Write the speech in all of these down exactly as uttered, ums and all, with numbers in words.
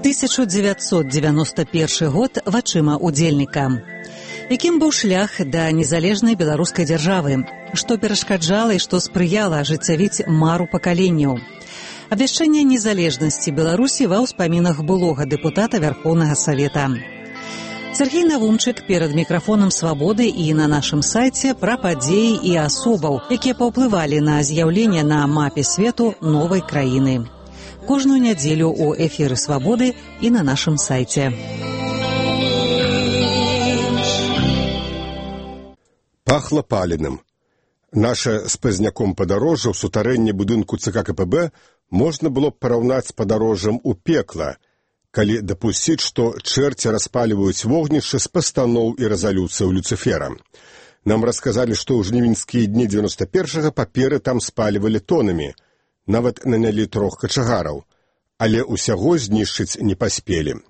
тысяча девятьсот девяносто первый год вачыма удзельніка. Якім быў шлях да незалежнай беларускай дзяржавы, што перашкаджала і што спрыяла ажыццявіць мару пакаленняў. Абвяшчэнне незалежнасці Беларусі ва ўспамінах былога дэпутата Вярхоўнага Савета. Сергей Навумчык перад мікрафонам «Свабоды» і на нашым сайце пра падзеі і асобаў, якія паўплывалі на з'яўленне на мапе свету новай краіны. Кожную нядзелю ў эфіры «Свабоды» і на нашым сайце. Пахла паленым. Наша з пазняком падарожжа ў сутарэнні будынку ЦК КПБ можна было б параўнаць з падарожжам у пекла, калі дапусціць, што чэрці распаліваюць вогнішча з пастаноў і рэзалюцыяў Люцыфера. Нам расказалі, што ў жнівеньскія дні дзевяноста першага паперы там спалівалі тонамі, нават нанялі трох качагараў, але ўсяго знішчыць не паспелі.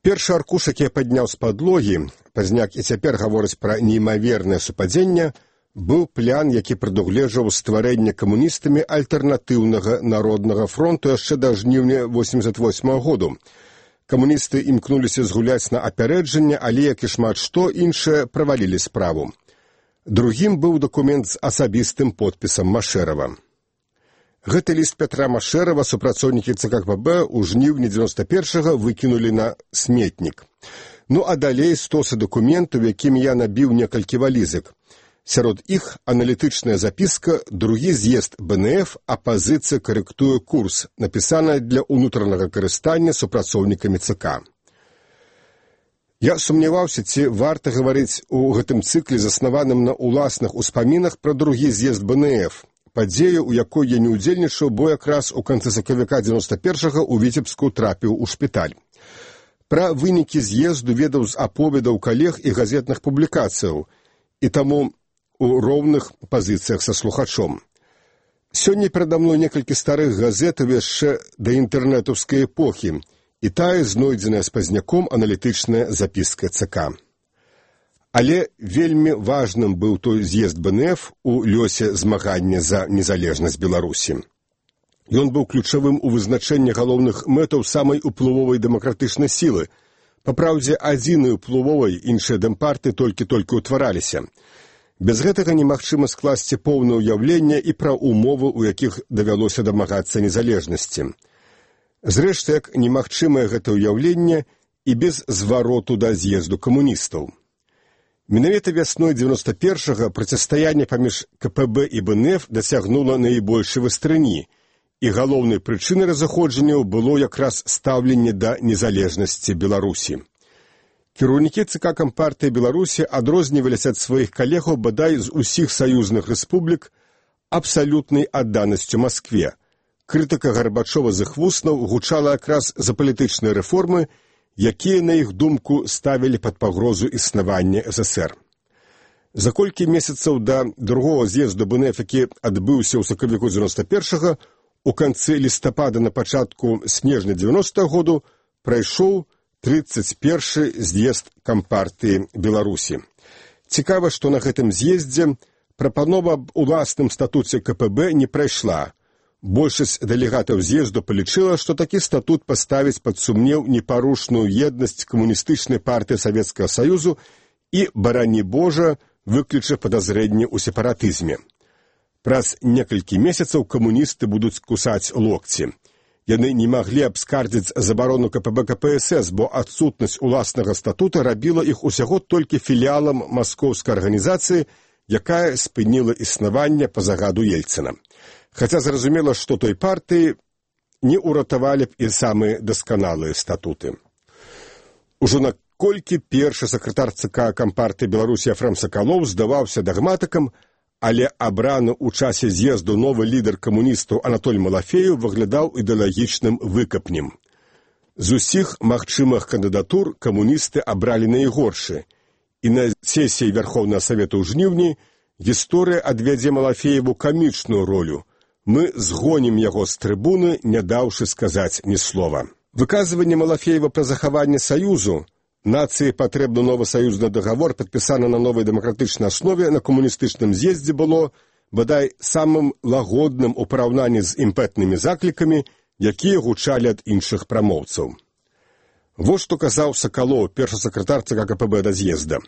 Першы аркуш, які я падняў з падлогі, пазняк і цяпер гаворыць пра неймавернае супадзенне, быў план, які прадугледжваў стварэнне камуністамі альтэрнатыўнага народнага фронту яшчэ да жніўня восемьдесят восьмага году. Камуністы імкнуліся згуляць на апярэджанне, але, як і шмат што, іншае правалілі справу. Другім быў дакумент з асабістым подпісам Машэрава. Гэты ліст Пятра Машэрава супрацоўнікі ЦК КПБ ў жніўні дзевяноста першага выкінулі на сметнік. Ну а далей стосы дакументаў, якімі я набіў некалькі валізак. Сярод іх аналітычная запіска «Другі з'езд БНФ. Апазіцыя карэктуе курс», напісаная для ўнутранага карыстання супрацоўнікамі ЦК. Я сумняваўся, ці варта гаварыць у гэтым цыкле, заснаваным на ўласных успамінах пра другі з'езд БНФ, падзею, у якой я не ўдзельнічаў, бо якраз у канцы сакавіка дзевяноста першага ў Віцебску трапіў у шпіталь. Пра вынікі з'езду ведаў з аповедаў калег і газетных публікацыяў, і таму у роўных пазіцыях са слухачом. Сёння перада мной некалькі старых газетаў яшчэ да інтэрнэтаўскай эпохі, і тая знойдзеная з пазняком аналітычная запіска ЦК. Але вельмі важным быў той з'езд БНФ у лёсе змагання за незалежнасць Беларусі. Ён быў ключавым у вызначэнні галоўных мэтаў самай уплывовай дэмакратычнай сілы. Папраўдзе, адзінай уплывовай, іншыя дэмпарты толькі-толькі ўтвараліся. Без гэтага немагчыма скласці поўнае ўяўленне і пра умовы, у якіх давялося дамагацца незалежнасці. Зрэшты, як немагчымае гэта ўяўленне і без звароту да з'езду камуністаў. Менавіта вясной дзевяноста першага процістаянне паміж КПБ і БНФ дасягнула найбольшай вастрыні, і галоўнай прычынай разыходжанняў было якраз стаўленне да незалежнасці Беларусі. Кіраўнікі ЦК Кампартыі Беларусі адрозніваліся ад сваіх калегаў бадай з усіх саюзных рэспублік абсалютнай адданасцю Маскве. Крытыка Гарбачова з іх вуснаў гучала якраз за палітычныя рэформы, якія, на іх думку, ставілі пад пагрозу існавання СССР. За колькі месяцаў да другога з'езду БНФ, які адбыўся ў сакавіку дзевяноста першага, у канцы лістапада на пачатку снежня дзевяностага году прайшоў трыццаць першы з'езд Кампартыі Беларусі. Цікава, што на гэтым з'ездзе прапанова аб уласным статуце КПБ не прайшла. Большасць дэлегатаў з'езду палічыла, што такі статут паставіць пад сумнеў непарушную еднасць камуністычнай партыі Савецкага Саюзу і, барані Божа, выключыць падазрэнне ў сепаратызме. Праз некалькі месяцаў камуністы будуць кусаць локці. Яны не маглі абскардзіць забарону КПБ КПСС, бо адсутнасць уласнага статута рабіла іх усяго толькі філіалам маскоўскай арганізацыі, якая спыніла існаванне па загаду Ельцына. Хаця зразумела, што той партыі не ўратавалі б і самыя дасканалыя статуты. Ужо наколькі першы сакратар ЦК Кампартыі Беларусі Ефрем Сакалоў здаваўся дагматыкам, але абраны ў часе з'езду новы лідар камуністаў Анатоль Малафеев выглядаў ідэалагічным выкапнем. З усіх магчымых кандыдатур камуністы абралі найгоршы, і на сесіі Верховнага Савета ў жніўні гісторыя адвядзе Малафееву камічную ролю. Мы згонім яго з трыбуны, не даўшы сказаць ні слова. Выказванне Малафеева пра захаванне Саюзу, нацыі патрэбны новы саюзны дагавор, падпісаны на новай дэмакратычнай аснове на камуністычным з'ездзе, было, бадай, самым лагодным у параўнанні з імпэтнымі заклікамі, якія гучалі ад іншых прамоўцаў. Вось што казаў Сакалоў, першы сакратар ЦК КПБ да з'езда.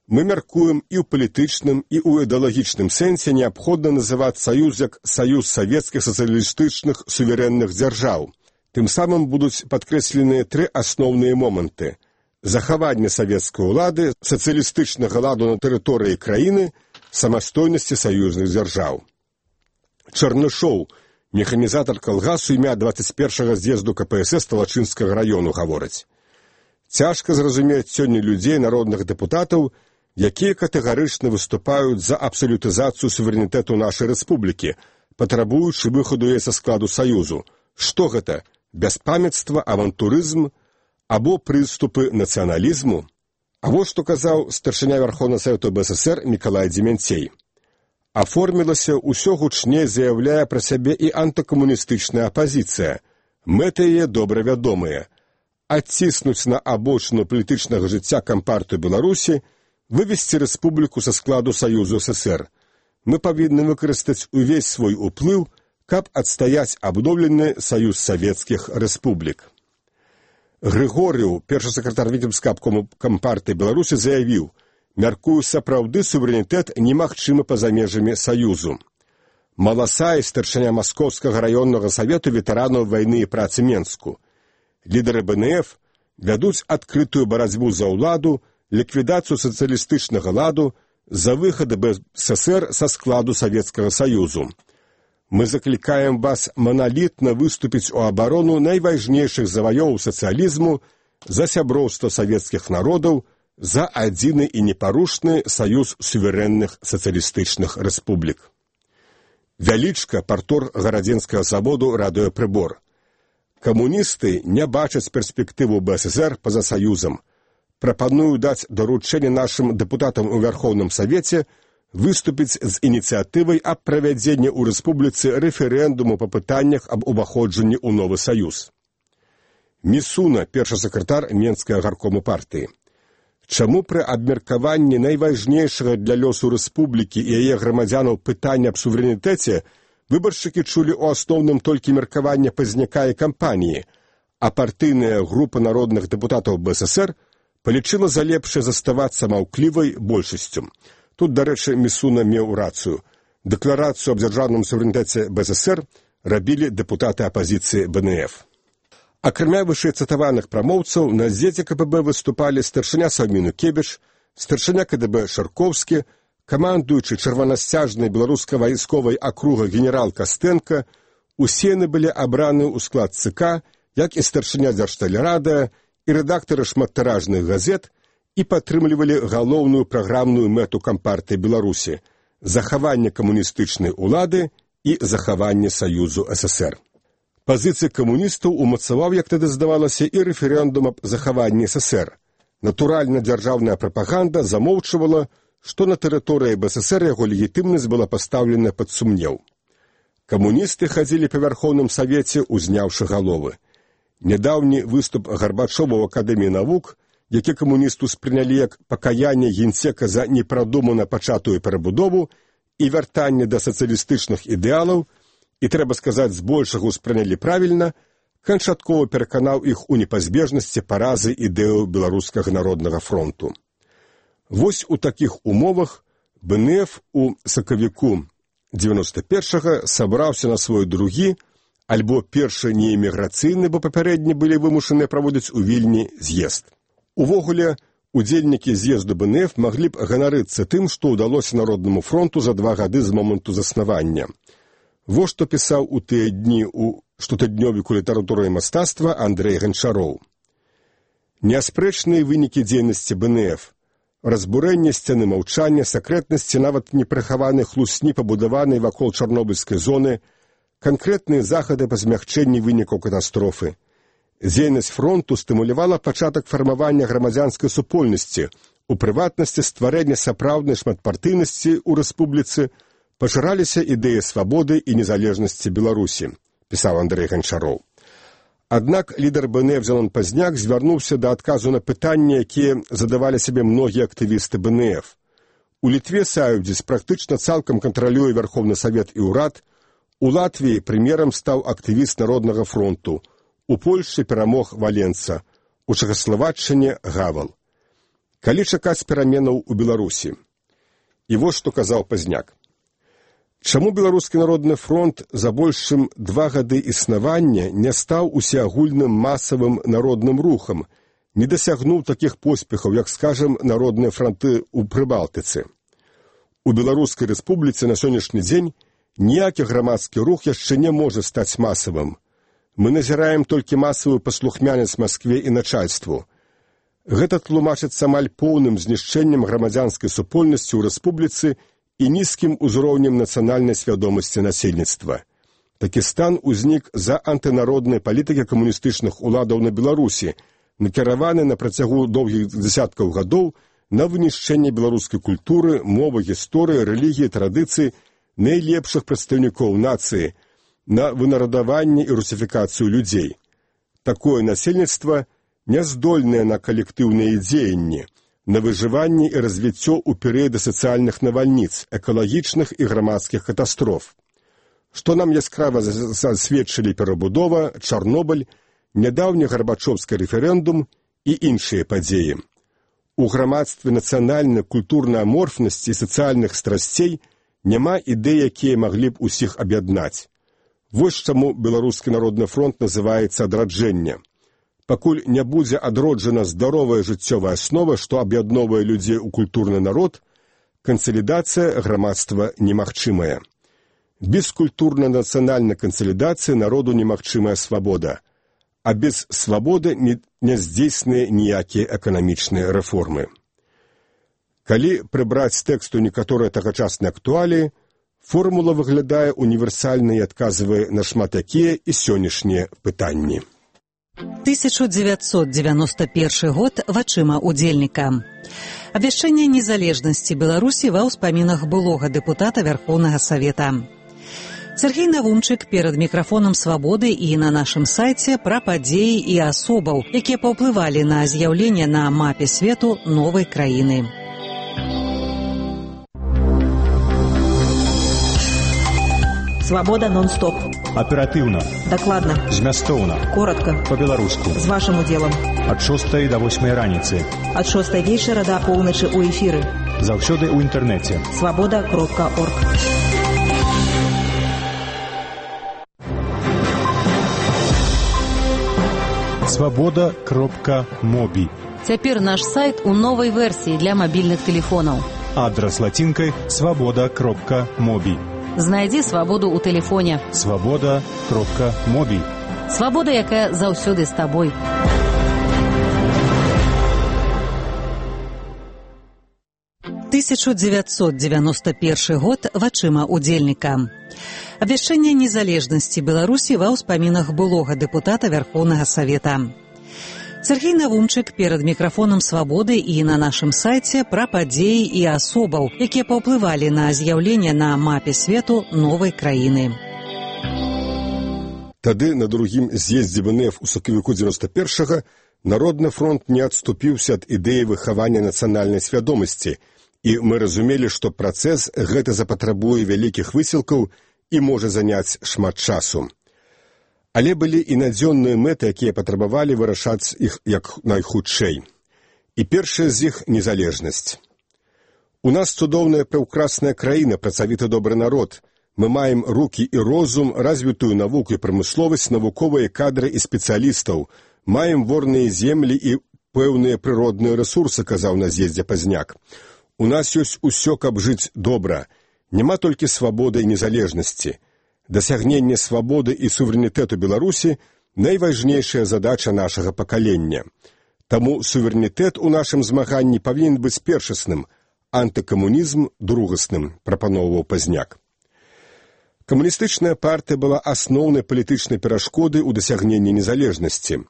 Мы мяркуем і ў палітычным, і ў ідэалагічным сэнсе неабходна называць саюз як саюз савецкіх сацыялістычных суверэнных дзяржаў. Тым самым будуць падкрэсленыя тры асноўныя моманты: захаванне савецкай улады, сацыялістычнага ладу на тэрыторыі краіны, самастойнасці саюзных дзяржаў. Чарнышоў, механізатар калгасу імя дваццаць першага з'езду КПСС Талачынскага раёну, гаворыць: цяжка зразумець сёння людзей, народных дэпутатаў, якія катэгарычна выступаюць за абсалютызацыю суверэнітэту нашай рэспублікі, патрабуючы выхаду яе са складу саюзу. Што гэта? Бяспамяцтва, авантурызм або прыступы нацыяналізму? А вось што казаў старшыня Верховнага Савету БССР Мікалай Дземянцей. Аформілася ўсё гучней, заяўляе пра сябе і антыкамуністычная апазіцыя. Мэты яе добра вядомыя: адціснуць на абочыну палітычнага жыцця Кампартыю Беларусі, вывесці рэспубліку са складу Саюзу СССР. Мы павінны выкарыстаць увесь свой уплыў, каб адстаяць абноўлены саюз савецкіх рэспублік. Грыгорыў, першы сакратар Віцебскага абкому Кампартыі Беларусі, заявіў: мяркую, сапраўды суверэнітэт немагчымы па-за межамі саюзу. Маласай, старшыня Маскоўскага раённага савету ветэранаў вайны і працы Менску. Лідары БНФ вядуць адкрытую барацьбу за ўладу, ліквідацыю сацыялістычнага ладу, за выхад БССР са складу Савецкага Саюзу. Мы заклікаем вас маналітна выступіць у абарону найважнейшых заваёў сацыялізму, за сяброўства савецкіх народаў, за адзіны і непарушны саюз суверэнных сацыялістычных рэспублік. Вялічка, партор Гарадзенскага заводу, радыёпрыбор. Камуністы не бачаць перспектыву БССР па-за саюзам. Прапаную даць даручэнне нашым дэпутатам у Верховным Савеце выступіць з ініцыятывай аб правядзенні ў рэспубліцы рэферэндуму па пытаннях аб уваходжанні ў новы саюз. Місуна, першы сакратар Менскага гаркому партыі. Чаму пры абмеркаванні найважнейшага для лёсу рэспублікі і яе грамадзянаў пытання аб суверэнітэце выбаршчыкі чулі ў асноўным толькі меркаванне пазняка і кампаніі, а партыйная група народных дэпутатаў БССР палічыла за лепшае заставацца маўклівай большасцю. Тут, дарэчы, Місуна меў рацыю. Дэкларацыю аб дзяржаўным суверэнітэце БССР рабілі дэпутаты апазіцыі БНФ. Акрамя вышэйцытаваных прамоўцаў, на з'ездзе КПБ выступалі старшыня Саўміну Кебіш, старшыня КДБ Шарковскі, камандуючы чырванасцяжнай беларуска-вайсковай акруга генерал Кастэнка. Усе яны былі абраны ў склад ЦК, як і старшыня Дзяржтэлерадыа, і рэдактары шматтыражных газет, і падтрымлівалі галоўную праграмную мэту Кампартыі Беларусі – захаванне камуністычнай улады і захаванне Саюзу СССР. Пазіцыі камуністаў умацаваў, як тады здавалася, і рэферэндум аб захаванні СССР. Натуральна, дзяржаўная прапаганда замоўчвала, што на тэрыторыі БССР яго легітымнасць была пастаўлена пад сумнеў. Камуністы хадзілі па Верховным Савеце, узняўшы галовы. Нядаўні выступ Гарбачова ў Акадэміі навук, які камуністы ўспрынялі як пакаянне генсека за непрадумана пачатую перабудову і вяртанне да сацыялістычных ідэалаў, і, трэба сказаць, збольшага ўспрынялі правільна, канчаткова пераканаў іх у непазбежнасці паразы ідэяў Беларускага народнага фронту. Вось у такіх умовах БНФ у сакавіку дзевяноста першага сабраўся на свой другі, альбо першы неэміграцыйны, бо папярэдні былі вымушаныя праводзіць у Вільні з'езд. Увогуле, удзельнікі з'езду БНФ маглі б ганарыцца тым, што ўдалося Народнаму фронту за два гады з моманту заснавання. Вось што пісаў у тыя дні у штотыднёвіку літаратуры і мастацтва Андрэй Ганчароў. Неаспрэчныя вынікі дзейнасці БНФ, разбурэнне сцяны маўчання, сакрэтнасці нават непрыхаванай хлусні, пабудаванай вакол чарнобыльскай зоны, канкрэтныя захады па змягчэнні вынікаў катастрофы. Дзейнасць фронту стымулявала пачатак фармавання грамадзянскай супольнасці, у прыватнасці стварэння сапраўднай шматпартыйнасці ў рэспубліцы, пашыраліся ідэі свабоды і незалежнасці Беларусі, пісаў Андрэй Ганчароў. Аднак лідар БНФ Зенон Пазняк звярнуўся да адказу на пытанні, якія задавалі сабе многія актывісты БНФ. У Літве Саюдзіс практычна цалкам кантралюе Верховны Савет і ўрад, у Латвіі прэм'ерам стаў актывіст Народнага фронту, у Польшчы перамог Валенца, у Чэхаславаччыне Гавал. Калі чакаць пераменаў у Беларусі? І вось што казаў Пазняк. Чаму Беларускі народны фронт за больш чым два гады існавання не стаў усеагульным масавым народным рухам, не дасягнуў такіх поспехаў, як, скажам, народныя фронты ў Прыбалтыцы? У Беларускай рэспубліцы на сённяшні дзень ніякі грамадскі рух яшчэ не можа стаць масавым. Мы назіраем толькі масавую паслухмянасць Маскве і начальству. Гэта тлумачыцца амаль поўным знішчэннем грамадзянскай супольнасці ў рэспубліцы і нізкім узроўнем нацыянальнай свядомасці насельніцтва. Такі стан узнік за антынароднай палітыкі камуністычных уладаў на Беларусі, накіраваны на працягу доўгіх дзесяткаў гадоў на вынішчэнне беларускай культуры, мовы, гісторыі, рэлігіі, традыцыі, найлепшых прадстаўнікоў нацыі, на вынарадаванне і русіфікацыю людзей. Такое насельніцтва не здольнае на калектыўныя дзеянні, на выжыванне і развіццё ў перыяды сацыяльных навальніц, экалагічных і грамадскіх катастроф. Што нам яскрава засведчылі перабудова, Чарнобыль, нядаўні гарбачоўскі рэферэндум і іншыя падзеі. У грамадстве нацыянальнай культурнай аморфнасці і сацыяльных страсцей няма ідэй, якія маглі б усіх аб'яднаць. Вось чаму Беларускі народны фронт называецца адраджэнне. Пакуль не будзе адроджана здаровая жыццёвая аснова, што аб'ядноўвае людзей у культурны народ, кансалідацыя грамадства немагчымая. Без культурнай нацыянальнай кансалідацыі народу немагчымая свабода, а без свабоды не, не здзейсныя ніякія эканамічныя рэформы. Калі прыбраць з тэксту некаторыя тагачасныя актуаліі, формула выглядае універсальна і адказвае на шмат якія і сённяшнія пытанні. тысяча девятьсот девяносто первый год вачыма удзельніка. Абвяшчэнне незалежнасці Беларусі ва ўспамінах былога дэпутата Вярхоўнага Савета. Сергей Навумчык перад мікрафонам «Свабоды» і на нашым сайце пра падзеі і асобаў, якія паўплывалі на з'яўленне на мапе свету новай краіны. Свобода нон-стоп. Оперативно. Докладно. Змястоўна. Коротко. По-беларуску. З вашим удзелам. Ад шостай до восьмай раніцы. Ад шостай вечара до поўначы у эфіры. Заўсёды ў інтэрнэце. свобода кропка орг. свобода кропка моби. Цяпер наш сайт у новай версіі для мабільных тэлефонаў. Адрас лацінкай свобода кропка моби. Знайдзі свабоду ў тэлефоне. свобода кропка моби. Свабода, якая заўсёды з табой. тысяча девятьсот девяносто первый год вачыма удзельніка. Абвяшчэнне незалежнасці Беларусі ва ўспамінах былога дэпутата Вярхоўнага Савета. Сергей Навумчык перад мікрафонам «Свабоды» і на нашым сайце пра падзеі і асобаў, якія паўплывалі на з'яўленне на мапе свету новай краіны. Тады на другім з'ездзе вэ эн эф у сакавіку дзевяносто першага Народны фронт не адступіўся ад ідэі выхавання нацыянальнай свядомасці, і мы разумелі, што працэс гэта запатрабуе вялікіх высілкаў і можа заняць шмат часу. Але былі і надзённыя мэты, якія патрабавалі вырашаць іх як найхутчэй. І першая з іх – незалежнасць. У нас цудоўная прыўкрасная краіна, працавіты добры народ. Мы маем рукі і розум, развітую навуку і прамысловасць, навуковыя кадры і спецыялістаў. Маем ворныя землі і пэўныя прыродныя рэсурсы, казаў на з'ездзе Пазняк. У нас ёсць усё, каб жыць добра. Няма толькі свабоды і незалежнасці. Дасягненне свабоды і суверэнітэту Беларусі – найважнейшая задача нашага пакалення. Таму суверэнітэт у нашым змаганні павінен быць першасным, антыкамунізм – другасным, прапаноўваў Пазняк. Камуністычная партыя была асноўнай палітычнай перашкодай у дасягненні незалежнасці.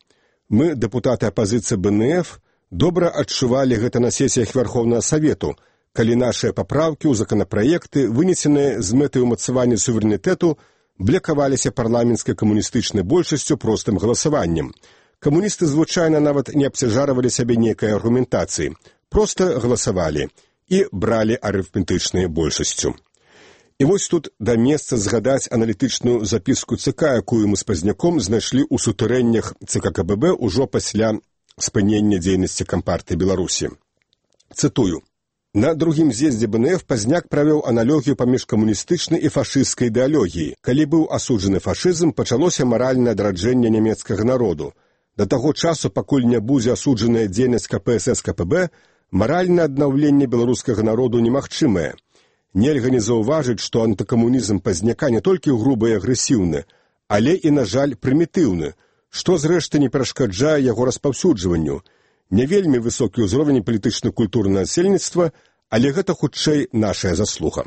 Мы, дэпутаты апазіцыі бэ эн эф, добра адчувалі гэта на сесіях Вярхоўнага Савету, калі нашыя папраўкі ў законапраекты, вынесеныя з мэтай умацавання суверэнітэту, блякаваліся парламенцкай камуністычнай большасцю простым галасаваннем. Камуністы звычайна нават не абцяжарвалі сябе нейкай аргументацыі, проста галасавалі і бралі арыфметычнай большасцю. І вось тут да месца згадаць аналітычную запіску ЦК, якую мы з Пазняком знайшлі ў сутарэннях ЦК ка бэ бэ ўжо пасля спынення дзейнасці Кампартыі Беларусі. Цытую. На другім з'ездзе БНФ Пазняк правёў аналогію паміж камуністычнай і фашысцкай ідэалогіяй. Калі быў асуджаны фашызм, пачалося маральнае адраджэнне нямецкага народу. Да таго часу, пакуль не будзе асуджаная дзейнасць КПСС КПБ, маральнае аднаўленне беларускага народу немагчымае. Нельга не заўважыць, што антыкамунізм Пазняка не толькі грубы і агрэсіўны, але і, на жаль, прымітыўны, што, зрэшты, не перашкаджае яго распаўсюджванню. Не вельмі высокі ўзровень палітычна-культурнага насельніцтва, але гэта хутчэй нашая заслуга.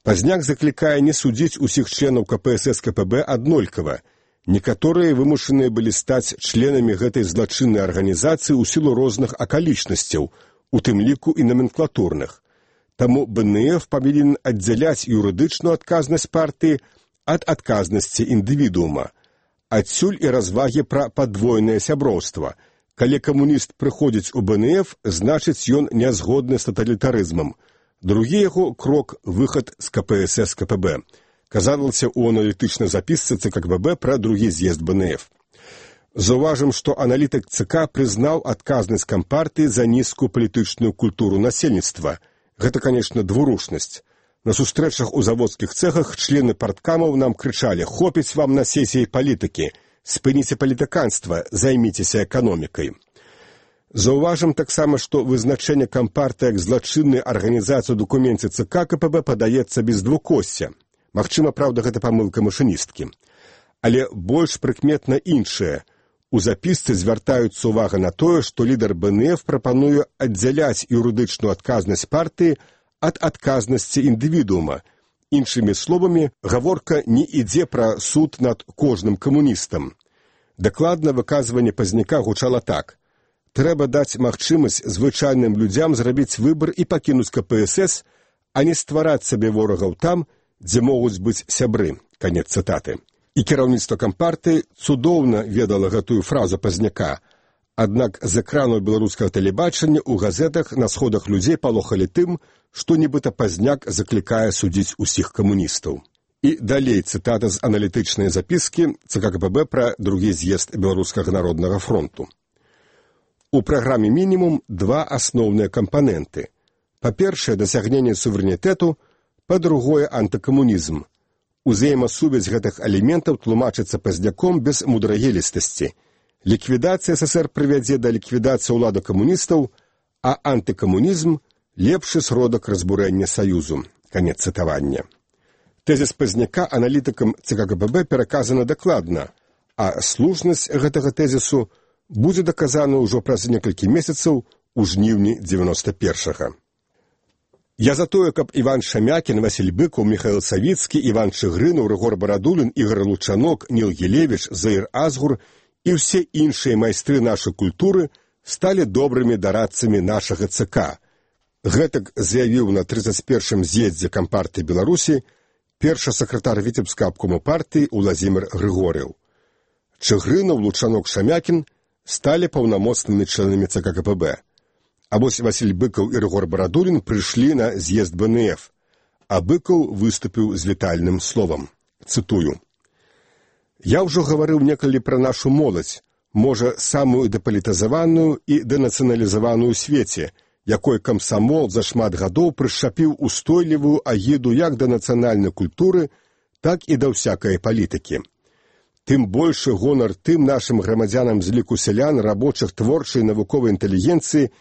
Пазняк заклікае не судзіць усіх членаў КПСС КПБ аднолькава. Некаторыя вымушаныя былі стаць членамі гэтай злачыннай арганізацыі ў сілу розных акалічнасцяў, у тым ліку і номенклатурных. Таму БНФ павінен аддзяляць юрыдычную адказнасць партыі ад адказнасці індывідуума. Адсюль і развагі пра падвойнае сяброўства. Калі камуніст прыходзіць у БНФ, значыць ён не згодны з таталітарызмам. Другі яго крок – выхад з КПСС КПБ. Казалася ў аналітычнай запісцы ЦК КПБ пра другі з'езд БНФ. Заўважым, што аналітык ЦК прызнаў адказнасць Кампартыі за нізкую палітычную культуру насельніцтва. Гэта, канешне, двурушнасць. На сустрэчах у заводскіх цэхах члены парткамаў нам крычалі «Хопіць вам на сесіі палітыкі! Спыніце палітыканства, займіцеся эканомікай». Заўважым таксама, што вызначэнне Кампартыі як злачыннай арганізацыі ў дакуменце ЦК КПБ падаецца без двукосця. Магчыма, праўда, гэта памылка машыністкі. Але больш прыкметна іншае. У запісцы звяртаюцца ўвага на тое, што лідар БНФ прапануе аддзяляць юрыдычную адказнасць партыі ад адказнасці індывідуума. Іншымі словамі, гаворка не ідзе пра суд над кожным камуністам. Дакладна выказванне Пазняка гучала так. Трэба даць магчымасць звычайным людзям зрабіць выбар і пакінуць КПСС, а не ствараць сабе ворагаў там, дзе могуць быць сябры. Канец цытаты. І кіраўніцтва Кампартыі цудоўна ведала гэтую фразу Пазняка. Аднак з экранаў беларускага тэлебачання ў газетах на сходах людзей палохалі тым, што нібыта Пазняк заклікае судзіць усіх камуністаў. І далей цытата з аналітычнай запіскі ЦК КПБ пра другі з'езд Беларускага народнага фронту. У праграме мінімум два асноўныя кампаненты. Па-першае, дасягненне суверэнітэту, па-другое, антыкамунізм. Узаемасувязь гэтых элементаў тлумачыцца Пазняком без мудрагелістасці. Ліквідацыя СССР прывядзе да ліквідацыі ўлады камуністаў, а антыкамунізм – лепшы сродак разбурэння саюзу. Канец цытавання. Тэзіс Пазняка аналітыкам ЦК КПБ пераказана дакладна, а слушнасць гэтага тэзісу будзе даказана ўжо праз некалькі месяцаў у жніўні дзевяноста першага. Я за тое, каб Іван Шамякін, Васіль Быкаў, Міхаіл Савіцкі, Іван Чыгрынаў, Рыгор Барадулін, Ігор Лучанок, Ніл Гілевіч, Заір Азгур і ўсе іншыя майстры нашай культуры сталі добрымі дарадцамі нашага ЦК. Гэтак заявіў на трыццаць першым з'ездзе Кампартыі Беларусі першы сакратар Віцебскага абкому партыі Уладзімір Грыгорыў. Чыгрынаў, Лучанок, Шамякін сталі паўнамоцнымі членамі ЦК КПБ. А вось Васіль Быкаў і Рыгор Барадулін прыйшлі на з'езд БНФ, а Быкаў выступіў з вітальным словам. Цытую. «Я ўжо гаварыў некалі пра нашу моладзь, можа, самую дэпалітызаваную і дэнацыяналізаваную ў свеце, якой камсамол за шмат гадоў прышчапіў устойлівую агіду як да нацыянальнай культуры, так і да ўсякай палітыкі. Тым большы гонар тым нашым грамадзянам з ліку сялян, рабочых, творчай, навуковай інтэлігенцыі,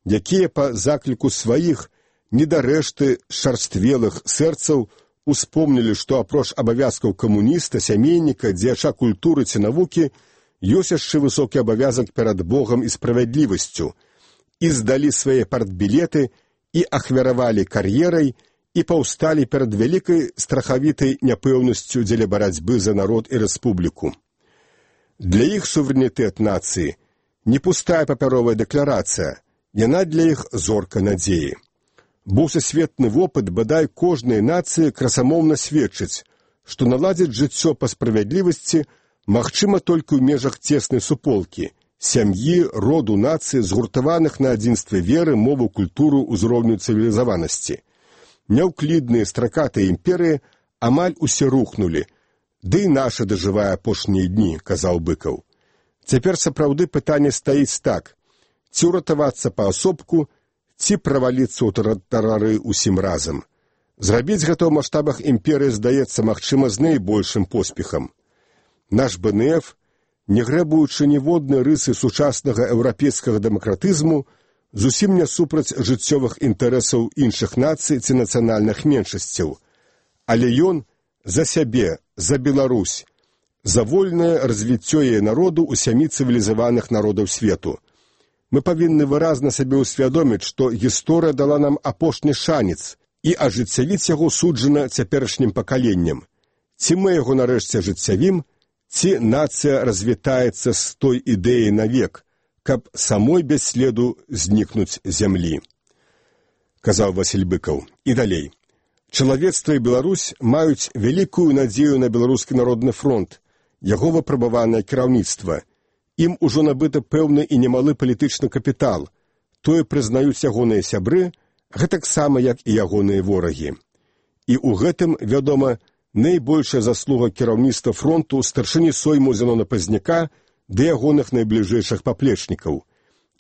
якія па закліку сваіх недарэшты шарствелых сэрцаў успомнілі, што апроч абавязкаў камуніста, сямейніка, дзеяча культуры ці навукі, ёсць яшчэ высокі абавязак перад Богам і справядлівасцю, і здалі свае партбілеты, і ахвяравалі кар'ерай, і паўсталі перад вялікай страхавітай няпэўнасцю дзеля барацьбы за народ і рэспубліку. Для іх суверэнітэт нацыі не пустая папяровая дэкларацыя, яна для іх зорка надзеі. Бо сусветны вопыт бадай кожнай нацыі красамоўна сведчыць, што наладзіць жыццё па справядлівасці магчыма толькі ў межах цеснай суполкі, сям'і, роду нацыі, згуртаваных на адзінстве веры, мову, культуру, узроўню цывілізаванасці. Няўклідныя стракатыя імперыі амаль усе рухнулі, ды і наша дажывае апошнія дні, казаў Быкаў. Цяпер сапраўды пытанне стаіць так: ці ўратавацца паасобку, ці праваліцца ў тартарары ўсім разам. Зрабіць гэта ў маштабах імперыі здаецца магчыма з найбольшым поспехам. Наш бэ эн эф, не грэбуючы ніводнай рысы сучаснага еўрапейскага дэмакратызму, зусім не супраць жыццёвых інтарэсаў іншых нацый ці нацыянальных меншасцяў, але ён за сябе, за Беларусь, за вольнае развіццё яе народу ў сямі цывілізаваных народаў свету. Мы павінны выразна сабе ўсвядоміць, што гісторыя дала нам апошні шанец і ажыццявіць яго суджана цяперашнім пакаленням. Ці мы яго нарэшце ажыццявім, ці нацыя развітаецца з той ідэяй навек, каб самой без следу знікнуць зямлі. Казаў Васіль Быкаў. І далей. Чалавецтва і Беларусь маюць вялікую надзею на Беларускі народны фронт, яго выпрабаванае кіраўніцтва. Ім ужо набыта пэўны і немалы палітычны капітал. Тое прызнаюць ягоныя сябры, гэтаксама, як і ягоныя ворагі. І ў гэтым, вядома, найбольшая заслуга кіраўніцтва фронту старшыні сойму Зенона Пазняка да ягоных найбліжэйшых паплечнікаў.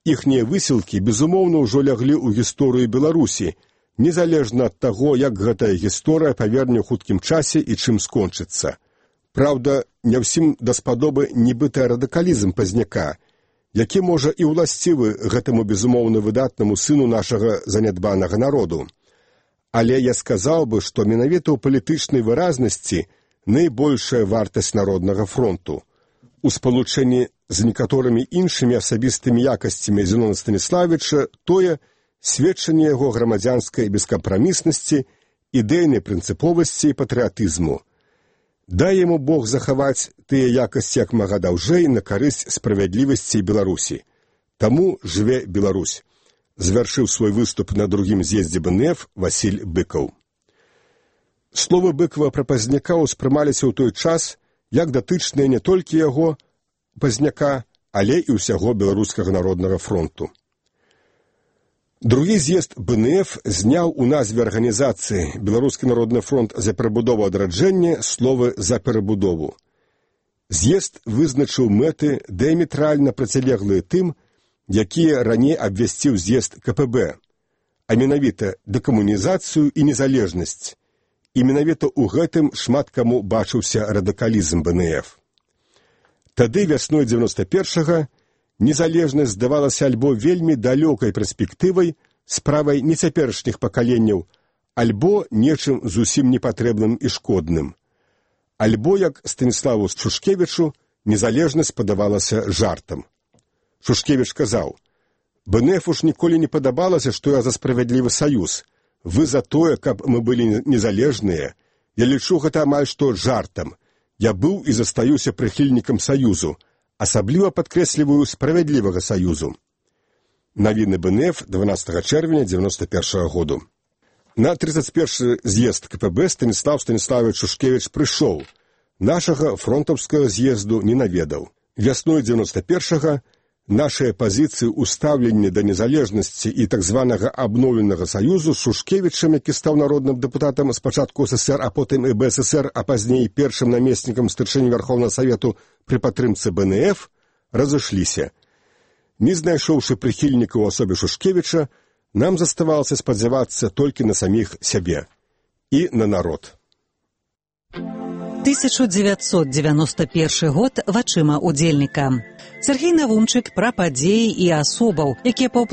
Іхнія высілкі, безумоўна, ўжо ляглі ў гісторыю Беларусі, незалежна ад таго, як гэтая гісторыя паверне ў хуткім часе і чым скончыцца. Праўда, не ўсім даспадобы нібыта радыкалізм Пазняка, які можа і ўласцівы гэтаму безумоўна выдатнаму сыну нашага занядбанага народу. Але я сказаў бы, што менавіта ў палітычнай выразнасці найбольшая вартасць народнага фронту. У спалучэнні з некаторымі іншымі асабістымі якасцямі Зенона Станіславіча тое сведчанне яго грамадзянскай бескампраміснасці, ідэйнай прынцыповасці і патрыятызму. Дай яму Бог захаваць тыя якасці як мага даўжэй на карысць справядлівасці Беларусі. Таму жыве Беларусь. Звяршыў свой выступ на другім з'ездзе бэ эн эф Васіль Быкаў. Словы Быкава пра Пазняка ўспрымаліся ў той час як датычныя не толькі яго, Пазняка, але і ўсяго Беларускага народнага фронту. Другі з'езд бэ эн эф зняў у назве арганізацыі Беларускі народны фронт за перабудову адраджэння словы «за перабудову». З'езд вызначыў мэты дыаметральна процілеглыя тым, якія раней абвясціў з'езд ка пэ бэ, а менавіта дэкамунізацыю і незалежнасць. І менавіта ў гэтым шмат каму бачыўся радыкалізм бэ эн эф. Тады, вясной дзевяноста першага, незалежнасць здавалася альбо вельмі далёкай перспектывай, справай не цяперашніх пакаленняў, альбо нечым зусім непатрэбным і шкодным. Альбо, як Станіславу Шушкевічу, незалежнасць падавалася жартам. Шушкевіч казаў: «бэ эн эф уж ніколі не падабалася, што я за справядлівы саюз. Вы за тое, каб мы былі незалежныя. Я лічу гэта амаль што жартам. Я быў і застаюся прыхільнікам саюзу, асабліва падкрэсліваю справядлівага саюзу». Навіны бэ эн эф дванаццатага чэрвеня дзевяноста першага году. На тридцать першы з'езд ка пэ бэ Станіслав Станіславович Шушкевіч прыйшоў. Нашага фронтаўскага з'езду не наведаў. Вясной дзевяноста першага нашыя пазіцыі ў стаўленні да незалежнасці і так званага абноўленага саюзу з Шушкевічам, які стаў народным дэпутатам спачатку эс эс эр, а потым і бэ эс эс эр, а пазней першым намеснікам старшыні Вярхоўнага Савету пры падтрымцы бэ эн эф, разышліся. Не знайшоўшы прыхільнікаў у асобе Шушкевіча, нам заставалася спадзявацца толькі на саміх сябе і на народ. тысяча дзевяцьсот дзевяносто першы год вачыма удзельніка. Сергей Навумчык пра падзеі і асобаў, якія